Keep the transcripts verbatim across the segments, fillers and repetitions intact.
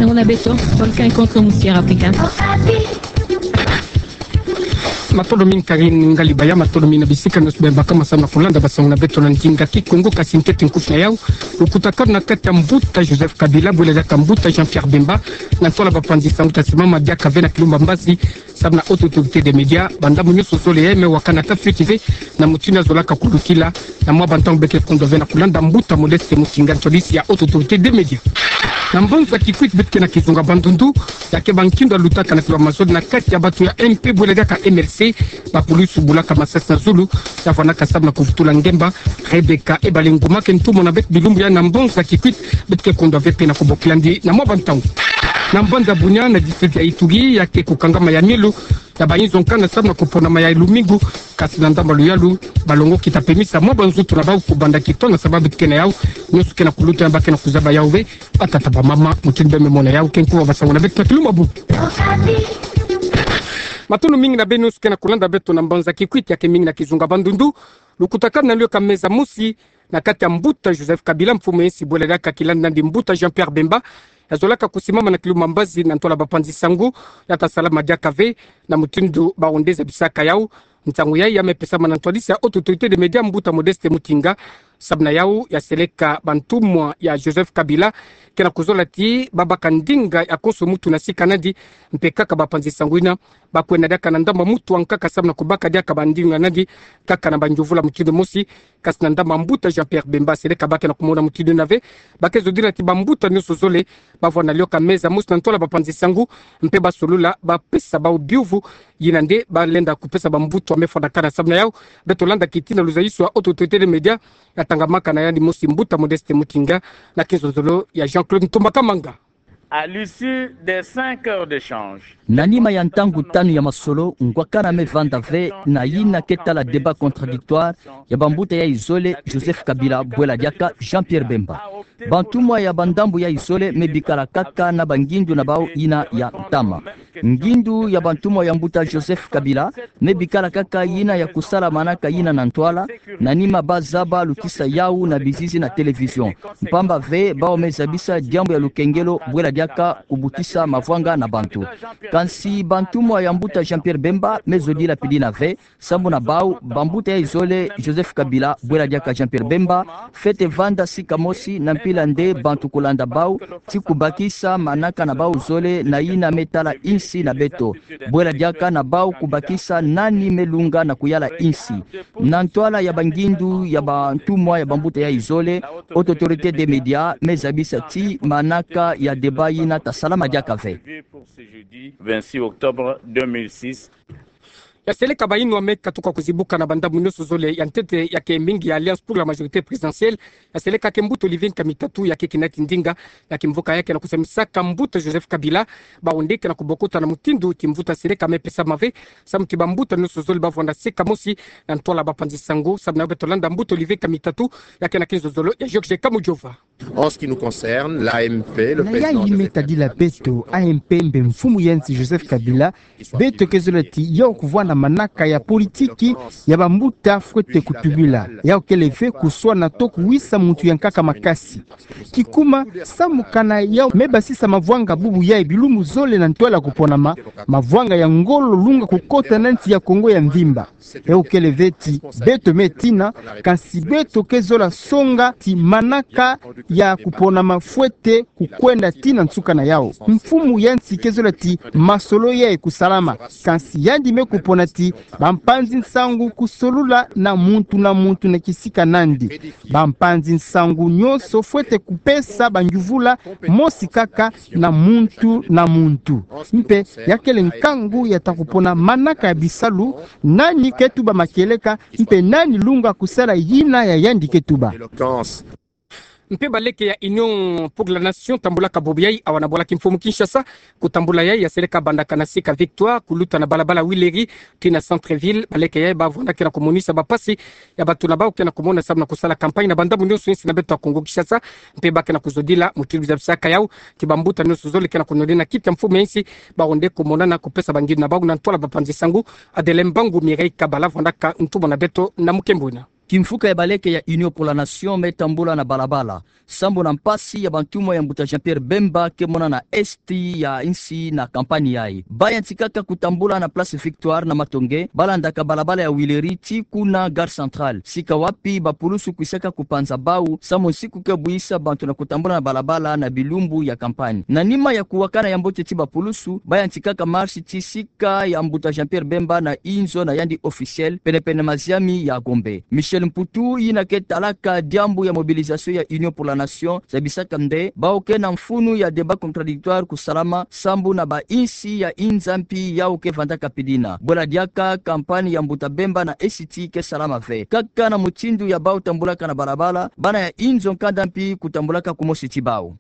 Sango na beto, volcan contre moustière africaine. Matondo mingi Karine Ngalibaya, matondo mingi na bisika nyonso beno baka ma samu na kulanda basango na beto na ndinga Kikongo. Kasi ntete nkufi na yau, lukutakanu na kati ya mbuta Joseph Kabila bwela diaka mbuta Jean-Pierre Bemba, na ntwala bapanzi sango ta simama diaka ve na kilumba mbazi, samu na Haute Autorité des Médias, bandambu nyonso zole ya me wakana ta fioti ve na mutindu ya zolaka kulutila, na mwa bantangu beke kondwa ve na kulanda mbuta Modeste Mutinga, ntwadisi ya Haute Autorité des Médias. Na mbanza Kikwit beto ke na kizunga bandundu, ya ke bankindu ya lutaka na kilwa mazono na kati ya bato ya M P bwela diaka M L C, bakulusu bulaka masasi na zulu, ya vwanaka samu na kuvutula ngemba, Rebecca Ebalenguma ke ntumwa na beto bilumbu ya na mbanza Kikwit, beto ke kondwa ve mpe na kubokila ndi na mwa bantangu. Na mbanza Bunia na district ya Ituri, ya ke kukangama ya milu ya bayinzo nkana samu na kuponama ya lumingu, kasi na ndambu ya luyalu, balongoki ta pemisa mwa banzutu na bau kubanda kitona sababu beto ke na yau, nyonso ke na kuluta ya ba ke na kuzaba yau ve, batata bamama, mutindu beno me mona yau, ke nkufi ya basango na beto na kilumbu ya bubu. Matondo mingi na beno nyonso ke na kulanda beto na mbanza Kikwit ya ke mingi na kizunga bandundu, lukutakanu na lio ka meza mosi, na kati ya mbuta Joseph Kabila, mfumu ya insi bwela diaka kilandi nandi mbuta Jean-Pierre Bemba, ya zolaka kusimama na kilumba mbazi na ntwala bapanzi sango, ya ta salama diaka ve, na mutindu bawu nde zabisaka yau. Nsangu yayi ya me pesama na ntwadisi ya Haute Autorité des Médias mbuta Modeste Mutinga, samu na yau ya seleka bantumwa ya Joseph Kabila, ke na kuzola ti babaka ndinga ya konso mutu na sika nandi, mpe kaka bapanzi sango yina, bakwenda diaka na ndambu ya mutu wa nkaka samu na kubaka diaka bandinga nandi, kaka na banjuvula mutindu mosi, kasi na ndambu ya mbuta Jean-Pierre Bemba. Seleka ba ke na kumona mutindu yina ve, ba ke zodila ti bambuta nyonso zole, bavwanda na lio ka meza mosi na ntwala bapanzi sango, mpe basolula, bapesa bau biuvu, yina nde balenda kupesa bambuta wa me fwanakana. Samu na yau, beto landa kitina luzayiso ya Haute Autorité des Médias, ya tangamaka na yandi mosi mbuta Modeste Mutinga, na kinzonzolo ya Jean-Claude Ntumba Kamanga. À l'issue des cinq heures d'échange, na nima ya ntangu tanu ya masolo, ngwakana me vanda ve na yina ke tala débat contradictoire ya bambuta yayi zole, Joseph Kabila bwela diaka Jean-Pierre Bemba. Bantumwa ya bandambu yayi zole me bikala kaka na bangindu na bau yina ya ntama. Ngindu ya bantumwa ya mbuta Joseph Kabila me bikala kaka yina ya kusala manaka yina na ntwala, na nima ba zaba lutisa yau na bizizi na télévision. Mpamba ve bau me zabisa diambu ya lukengelo bwela diaka kubutisa mavwanga na bantu. Kansi bantumwa ya mbuta Jean-Pierre Bemba me zodila pili yina ve, sambu na bau, bambuta yayi zole, Joseph Kabila bwela diaka Jean-Pierre Bemba, fwete vanda sika mosi na mpila nde bantu kulanda bau, ti kubakisa manaka na bau zole na yina me tala insi na beto. Bwela diaka na bau kubakisa nani me lunga na kuyala insi. Na ntwala ya bangindu ya bantumwa ya bambuta yayi zole, Haute Autorité des Médias me zabisa ti manaka ya débat yina ta salama diaka ve. Pour ce jeudi vingt-six octobre deux mille six. Ya seleka bayinwa me katuka kuzibuka na bandambu nyonso zole, ya ntete ya ke mingi ya Alliance pour la majorité présidentielle, ya seleka ke mbuta Olivier Nkamitatu, ya ke kinati ndinga ya kimvuka ya ke na kusamisaka mbuta Joseph Kabila, bau nde ke na kubokota na mutindu ti mvutu ya seleka me pesama ve, samu ti bambuta nyonso zole bavwanda sika mosi na ntwala bapanzi sango. Samu na yau beto landa mbuta Olivier Nkamitatu, ya ke na kinzonzolo ya Georges Kamujova. En ce qui nous concerne, l'A M P, le président Joseph Kabila, na yayi me tadila beto, A M P mpe mfumu ya insi Joseph Kabila, beto ke zola ti yau kuvwanda manaka ya politiki ya bambuta fwete kutubila. Yau kele ve kuswana to kuwisa muntu ya nkaka makasi. Kikuma, samu kana yau me basisa mavwanga bubu yayi bilumbu zole na ntwala kuponama, mavwanga ya ngolo lunga kukota na nsi ya Kongo ya mvimba. Yau kele ve ti beto me tina, kansi beto ke zola songa ti manaka ya kuponama fwete kukwenda tii na nsuka na yau. Mfumu ya nsi ke zola ti masolo yayi kusalama, kansi yandi me kupona ti bampanzi nsangu kusolula na muntu na muntu na kisika nandi. Bampanzi nsangu nyonso fwete kupesa banjuvula mosi kaka na muntu na muntu. Mpe ya kele nkangu ya ta kupona manaka ya bisalu, nani ke tuba makieleka, mpe nani lunga kusala yina ya yandi ke tuba. Mpe baleke ya Union pour la Nation tambulaka bubu yayi awa na bwala kimfumu Kinshasa. Kutambula yayi ya seleka bandaka na sika Victoire, kuluta na balabala Huileries tii na Centre-Ville. Baleke yayi bavwanda ke na kumonisa bampasi ya bato na bau ke na kumona samu na kusala campagne na bandambu nyonso ya insi na beto ya Kongo Kinshasa. Mpe ba ke na kuzodila mutindu zabisaka yau ti bambuta nyonso zole ke na kunonena kiti ya mfumu ya insi, bau nde kumonana kupesa bangindu na bau na ntwala bapanzi sangu. Adele Mbangu, Mireille Kabala vwandaka ntumwa na beto na mukembo wina. Kimvuka ya baleke ya Union pour la Nation me tambula na balabala sambu na mpasi ya bantumo ya mbuta Jean-Pierre Bemba ke mona na esti ya insi na kampani yayi. Ba yantikaka kutambula na Place Victoire na Matonge, ba landaka balabala ya Huilerie tii kuna Gare Centrale, sika wapi bapulusu kwisaka kupanza bau samu nsiku ke buisa bantu na kutambula na balabala na bilumbu ya kampani. Na nima ya kuwakana ya mbote ti bapulusu, ba yantikaka marche tii sika ya mbuta Jean-Pierre Bemba na inzo na yandi officiel, penepene maziami ya Gombe. Michel Mputu, yina ke talaka diambu ya mobilisation ya Union pour la Nation, zabisaka nde bau ke na mfunu ya débat contradictoire kusalama sambu na bainsi ya inza mpi yau ke vandaka pidina. Bwela diaka kampani ya mbuta Bemba na esti ke salama ve kaka na mutindu ya bau tambulaka na balabala, bana ya inzo nkanda mpi kutambulaka kumosi ti bau.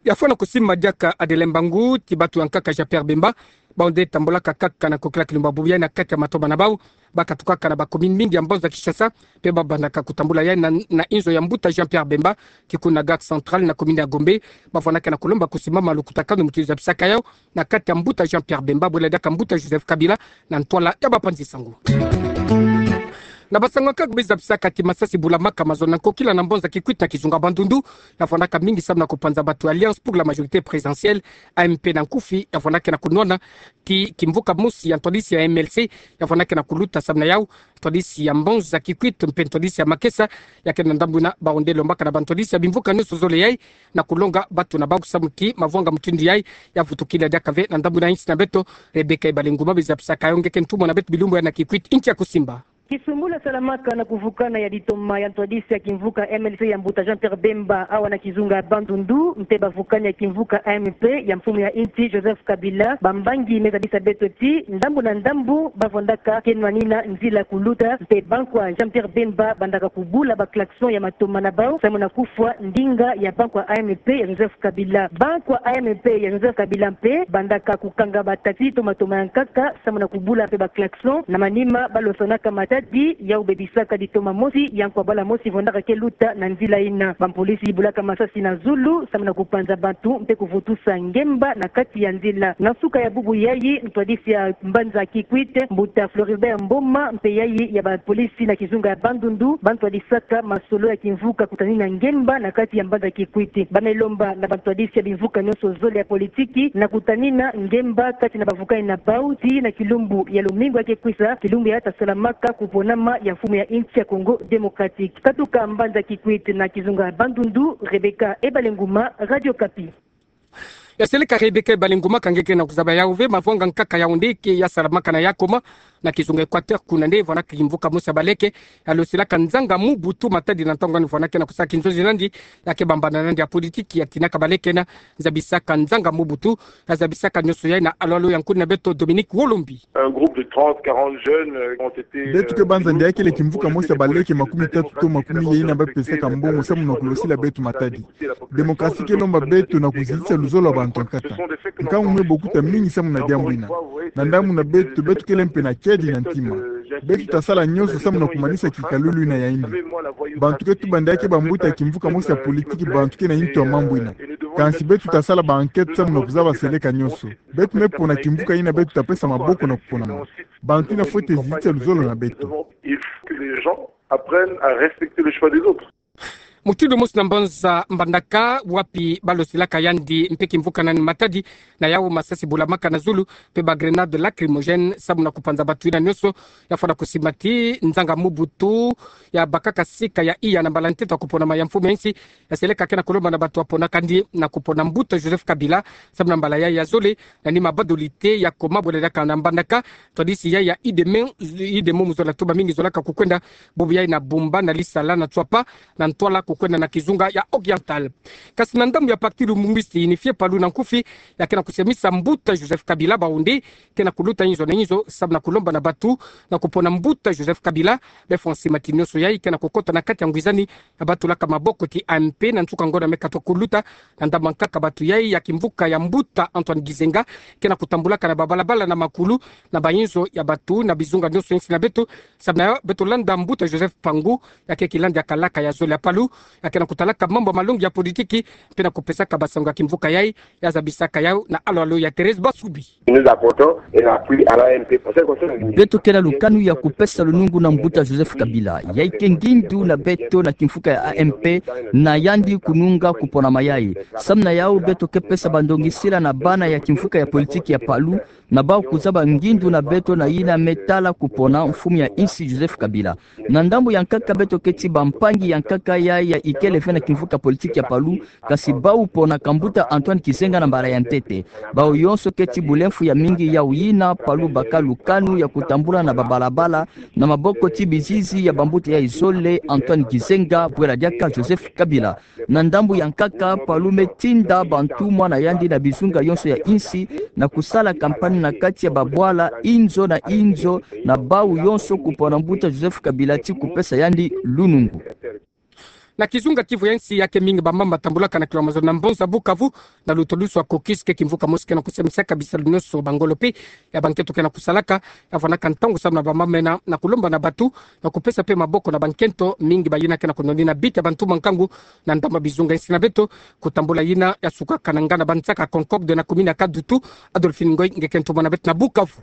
Ya fwana kusimba diaka Adelin Mbangu ti batu ya nkaka Jean-Pierre Bemba, bau nde tambulaka kaka na nkokila kilumbu ya bubu yayi na kati ya matoma na bau. Ba katukaka na ba commune mingi ya mbanza Kinshasa, mpe ba bandaka kutambula yayi na, na inzo ya mbuta Jean-Pierre Bemba, ti kuna Gare Centrale na commune ya Gombe. Ba fwanaka na kulomba kusimbama lukutakanu mutindu zabisaka yau na kati ya mbuta Jean-Pierre Bemba, bwela diaka mbuta Joseph Kabila, na ntwala ya bapanzi sango. Na basango kaka be zabisaka ti masasi bulamaka mazono na nkokila na mbanza Kikwit na kizunga Bandundu, ya fwanaka mingi samu na kupanza batu Alliance pour la Majorité Présidentielle, A M P na nkufi, ya fwanaka na kunwana ti kimvuka mosi ya ntwadisi ya M L C, ya fwanaka na kuluta samu na yau, ntwadisi ya mbanza Kikwit mpe ntwadisi ya Makesa, ya ke na ndambu ina bau nde lombaka na bantwadisi ya bimvuka nionso zole yayi na kulonga batu na bau samu ti mavwanga mutindu yayi ya vutukila diaka ve na ndambu ina insi na beto. Rebecca Ibalenguma be zabisaka yau nge ke ntumwa na beto bilumbu yayi na Kikwit, ntia kusimba. Kisumbula salamaka na kuvukana ya ditoma ya ntwadisi ya kimvuka M L C ya mbuta Jean-Pierre Bemba awa na kizunga Bandundu, mpe bavukani ya kimvuka A M P ya mfumu ya insi Joseph Kabila, bambangi me zabisa beto ti ndambu na ndambu ba vandaka ke nwanina nzila kuluta, mpe bankwa Jean-Pierre Bemba bandaka kubula ba klaxon ya matoma na bau samu na kufwa ndinga ya bankwa A M P ya Joseph Kabila. Bankwa A M P ya Joseph Kabila mpe bandaka kukanga ba taxi to matoma ya nkaka samu na kubula mpe ba klaxon. Na manima ba losanaka matadi yau bebisaka ditoma mosi ya nkwa bala mosi vandaka ke luta na nzila ina. Bampolisi bulaka masasi na zulu samu na kupanza bantu mpe kuvutusa ngemba na kati ya nzila. Na nsuka ya bubu yayi, ntwadisi ya mbanza Kikwit, mbuta Floribert Mboma, mpe yayi ya bapolisi na kizunga ya Bandundu, ba ntwadisaka masolo ya kimvuka kutanina ngemba na kati ya mbanza Kikwit. Ba me lomba na bantwadisi ya bimvuka nionso zole ya politiki na kutanina ngemba kati na bavukani na bau tii na kilumbu ya lumingu ya ke kwisa, kilumbu ya ta salamaka kuponama ya mfumu ya insi ya Congo Démocratique. Katuka mbanza Kikwit na kizunga Bandundu, Rebecca Ebalenguma, Radio Okapi. Ya seleka Rebecca Ebalenguma, ka nge ke na kuzaba yau ve. Mavwanga nkaka yau nde ke ya salamaka na ya koma na kizunga Équateur, kuna nde vandaka kimvuka mosi ya baleke ya losilaka nzanga Mobutu matadi na ntangu ni vandaka na kusala kinzonzi nandi, ya ke bambana nandi ya politiki ya tinaka baleke na zabisaka nzanga Mobutu, ya zabisaka nionso yayi na alo alo ya nkuni na beto Dominique Wolombi. Un groupe de trente, quarante jeunes, euh, ont été, euh, Beto ke banza nde ya kele kimvuka mosi ya baleke makumi tatu to makumi ye ina ba pesaka mbongo samu na kulosila beto matadi. Démocratie ke lomba beto na kuzitisa luzolo lwa bantu ya nkaka. Nkangu me bokuta mingi samu na diambu ina. Na ndambu na beto, beto kele mpe na kiadi na ntima. Beto ta sala nionso samu na kumanisa kikalulu ina ya ina. Bantu ke tuba nde ya ke bambuta ya kimvuka mosi ya politiki, bantu ke na nto ya mambu ina. Kansi beto ta sala ba enquête samu na kuzaba seleka nionso. Beto me pona kimvuka ina beto ta pesa maboko na kuponama. Bantu ina fwete zitisa luzolo na beto. Il faut que les gens apprennent à respecter le choix des autres. Mutindu mosi na mbanza Mbandaka, wapi ba losilaka yandi mpe kimvuka nani matadi, na yau masasi bulamaka na zulu, mpe ba grenades lacrymogènes, samu na kupanza batu ina nionso. Ya fwana kusimba ti nzanga Mobutu ya bakaka sika ya iya na mbala ntete ya kuponama ya mfumu ya insi, ya seleka ke na kulomba na batu ya pona kandi na kupona mbuta Joseph Kabila samu na mbala yayi ya zole, na nima badolite ya koma bwele diaka na Mbandaka. Ntwadisi yayi ya UDEME, UDEME mu zola tuba mingi zolaka kukwenda bubu yayi na Bumba, na Lisala, na Tswapa, na ntwala kukwenda na kizunga ya Oriental. Kasi na ndambu ya Parti Lumumba Unifié, Palu na nkufi, ya ke na kusiamisa mbuta Joseph Kabila, bau nde ke na kuluta inzo na inzo samu na kulomba na batu na kupona mbuta Joseph Kabila. Be fwa nsi matadi nionso yayi ke na kukota na kati ya ngwizani ya ba tulaka maboko ti A M P na nsuka ngonda me katuka kuluta. Na ndambu ya nkaka batu yayi ya kimvuka ya mbuta Antoine Gizenga ke na kutambulaka na babalabala na makulu, na ba inzo ya batu, na bizunga nionso ya insi na beto, samu na beto landa mbuta Joseph Mpangu, ya ke kilandi ya kalaka ya zole ya Palu, ya ke na kutalaka mambu ya malongi ya politiki, mpe na kupesaka basango ya kimvuka yai, ya zabisaka yau na alo alo ya Thérèse Basubi. Nous apportons un appui à l'A M P pour ce qui concerne l'unité. Beto ke na lukanu ya kupesa lunungu na mbuta Joseph Kabila. Yai ke ngindu na beto na kimvuka ya A M P, na yandi kununga kupona mayai. Samu na yau beto ke pesa bandongisila na bana ya kimvuka ya politiki ya Palu, na bau kuzaba ngindu na beto na yina me tala kupona mfumu ya insi Joseph Kabila. Na ndambu ya nkaka beto keti bampangi ya nkaka ya, ya ikele ve na kimvuka politiki ya Palu, kasi bau pona ka mbuta Antoine Gizenga na mbala ya ntete. Bau yonso keti bulemfu ya mingi yau yina Palu baka lukanu ya kutambula na babalabala, na maboko ti bizizi ya bambuta yai zole Antoine Gizenga, bwela diaka Joseph Kabila. Na ndambu ya nkaka, Palu me tinda bantumwa na yandi na bizunga yonso ya insi, na kusala kampanye na kati ya babwala inzo na inzo, na bau yonso kupona mbuta Joseph Kabila ti kupesa yandi lunungu. Na kizunga Kivu ya insi ya ke mingi bamama batambulaka na kilo mazono na mbanza Bukavu, na lutulusu ya caucus ke kimvuka mosi ke na kusemisaka bisalu nyonso bangolo mpe ya bankento ke na kusalaka, ya vwanaka ntangu samu na bamama mena na kulomba na batu, na kupesa mpe maboko na bankento mingi bayina ke na kunonina bita bantu ba nkangu na ndambu ya bizunga insi na beto, kutambula yina ya sukaka na nganda bansaka Concorde na commune ya Kadutu. Adolphine Ngoy, nge kento mwana beto na Bukavu.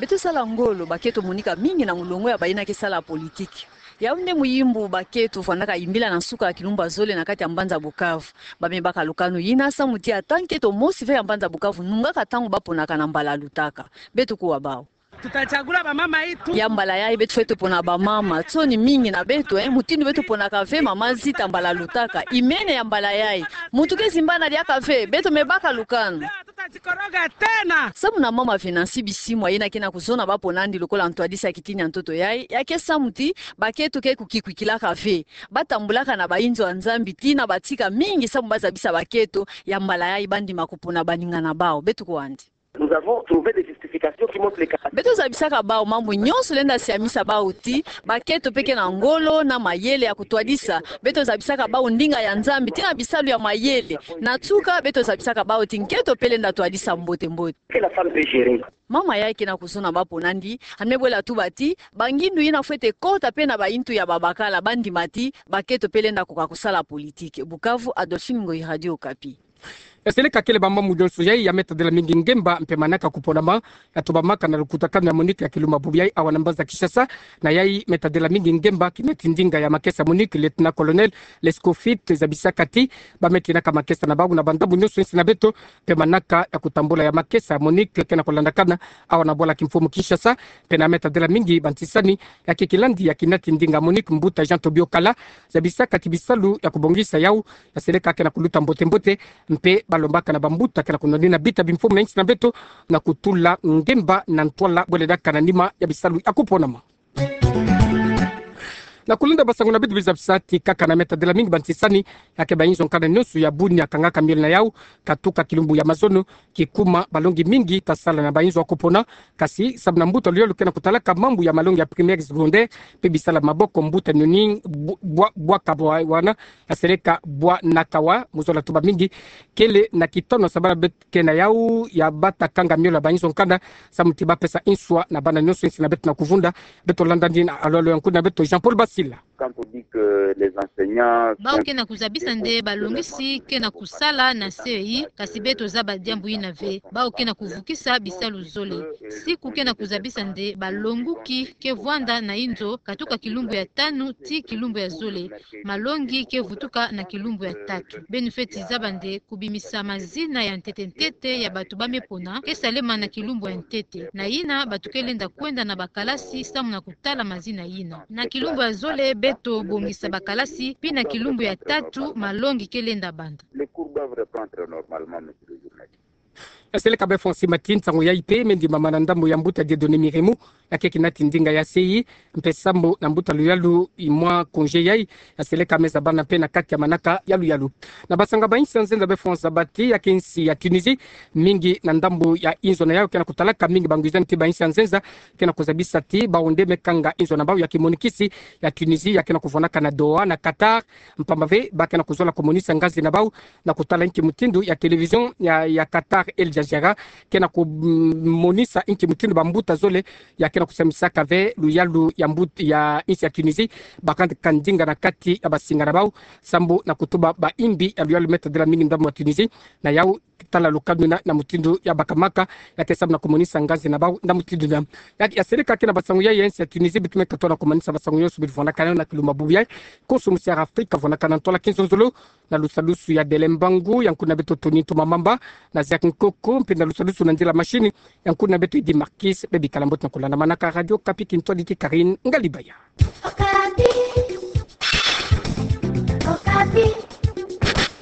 Beto sala ngolo, bakento monika mingi na mulongo ya bayina ke sala politiki. Yau nde muimbu bakento vwanaka imbila na nsuka ya kilumbu ya zole na kati ya mbanza Bukavu. Ba me baka lukanu yina samu ti ata nkento mosi ve ya mbanza Bukavu nungaka ntangu ba ponaka na mbala lutaka. Beto kuwa bau. Tutachagula bamama itu. Ya mbala yai beto fwete pona bamama. Nsoni mingi na beto, eh, mutindu beto ponaka ve mama Zita mbala lutaka. Imene ya mbala yai. Muntu ke zimbana diaka ve, beto me baka lukanu. Leo hatutajikoroga tena. Samu na mama Venansi Bisimwa, yina ke na kuzona ba pona ndi lokola ntwadisi ya kitini ya ntoto yai, ya ke samu ti bakento ke kukikwikilaka ve. Ba tambulaka na bainzo ya Nzambi tii na batika mingi samu ba zabisa bakento, ya mbala yai ba ndima kupona baninga na bau. Beto kuwa ndi. Nous avons trouvé des justifications qui montrent les capacités. Beto zabisaka bau mambu nyonso lenda siamisa bau ti bakento mpe ke na ngolo na mayele ya kutwadisa. Beto zabisaka bau ndinga ya Nzambi tii na bisalu ya mayele. Na nsuka, beto zabisaka bau ti nkento mpe lenda twadisa mbote mbote. Que la femme peut gérer. Mama yai ke na kuzona ba pona ndi, ha me bwela tuba ti bangindu yina fwete kota mpe na baintu ya babakala, ba ndima ti bakento mpe lenda koka kusala politiki. Bukavu, Adolphine Ngoyi, Radio Okapi. Ya seleka kele bamama nyonso yai ya me tadila mingi ngemba mpe manaka kuponama ya tubamaka na lukutakanu ya MONUC ya kilumbu bubu yai awa na mbanza Kinshasa. Na yai me tadila mingi ngemba kina ti ndinga ya makesa MONUC, lieutenant-colonel Lescoffier zabisaka ti ba me tinaka makesa na bau na bandambu nyonso insi na beto, mpe manaka ya kutambula ya makesa MONUC ke na kulandakana awa na bwala kimfumu Kinshasa. Mpe na me tadila mingi bantisani ya ke kilandi ya kina ti ndinga MONUC, mbuta Jean Tobio Kala zabisaka ti bisalu ya kubongisa yau ya seleka ke na kuluta mbote mbote, mpe ba lombaka na bambuta ke na kunonina bita bimfumu na insi na beto na kutula ngemba na ntwala bwele diaka na nima ya bisalu ya kuponama. Na kulenda basango na bita bizabisa ti kaka na me tadila mingi bantisani ya ke bainzo nkanda nyonso ya Bunia kangaka miole na yau, katuka kilumbu ya mazono, kikuma balongi mingi ta sala na bainzo ya kupona, kasi samu na mbuta luyalu ke na kutalaka mambu ya malongi ya primaire, secondaire, mpe bisalu ya maboko, mbuta Nyoni Bu-, Bwa-, Bwaka Bwa-, Wana, ya seleka Bwa Nakawa, mu zola tuba mingi, kele na kitono samu na beto ke na yau ya bata kanga miole ya bainzo nkanda, samu ti ba pesa nswa na bana nyonso insi na beto na kuvunda. Beto landa ndi na alo alo ya nkuna beto Jean-Paul Basila. Quand on dit que les enseignants... Bau ke na kuzabisa nde balongisi ke na kusala na C E I, kasi beto zaba diambu yina ve. Bau ke na kuvukisa bisalu zole. Siku ke na kuzabisa nde balonguki ke vwanda na inzo, katuka kilumbu ya tanu tii kilumbu ya zole. Malongi ke vutuka na kilumbu ya tatu. Beno fweti zaba nde kubimisa mazina ya ntete ntete ya batu ba me pona ke salema na kilumbu ya ntete. Na yina batu ke lenda kwenda na bakalasi samu na kutala mazina yina. Na kilumbu ya zole beto bongisa bakalasi, pi na kilumbu ya tatu malongi ke lenda banda. Les cours doivent reprendre normalement, monsieur le journaliste. Ya seleka bê Fonsi Matin, nsangu yai mpe me ndimama na ndambu ya mbuta Dieudonné Miremu, ya ke kina ti ndinga ya C E I, mpe samu na mbuta luyalu i mwa congé yai, ya seleka me zabana mpe na kati ya manaka ya luyalu. Na basango ba insi ya nzenza, bê Fonsi zaba ti ya ke insi ya Tunisie, mingi na ndambu ya inzo na yau ke na kutalaka mingi bangwizani ti ba insi ya nzenza ke na kuzabisa ti bau nde me kanga inzo na bau ya kimonikisi ya Tunisie ya ke na kuvwanaka na Doha na Qatar, mpamba ve ba ke na kuzola kumonisa ngazi na bau na kutala nki mutindu ya télévision ya, ya Qatar Al Jazeera Ziara ke na kumonisa inki mutindu bambuta zole ya ke na kusamisaka ve luyalu ya mbut- ya insi ya Tunisie, bakana ka ndinga na kati ya basinga na bau, sambu na kutuba baimbi ya luyalu meta dila mingi ndambu ya Tunisie, na yau tala lukanu na, na mutindu ya bakamaka, ya ke samu na kumonisa nganzi na bau na mutindu na. Ya, ya seleka ke na basangu ya, ya insi ya Tunisie, bitumeka tona kumonisa basangu yo subiri vwanakana na kiluma bubu ya, koso musi ya Afrika vwanakana ntwala kinzonzolo, na lusalusu ya Dele Mbangu, ya nkuna beto Tony Ntumamamba, na Ziak Nkoko, mpe na lusalusu na nzila mashini, ya nkuna beto Eddy Marquis, bebikala mbote na kulanda manaka Radio Okapi, kintwadi ki Karine Ngalibaya. Okapi. Okapi.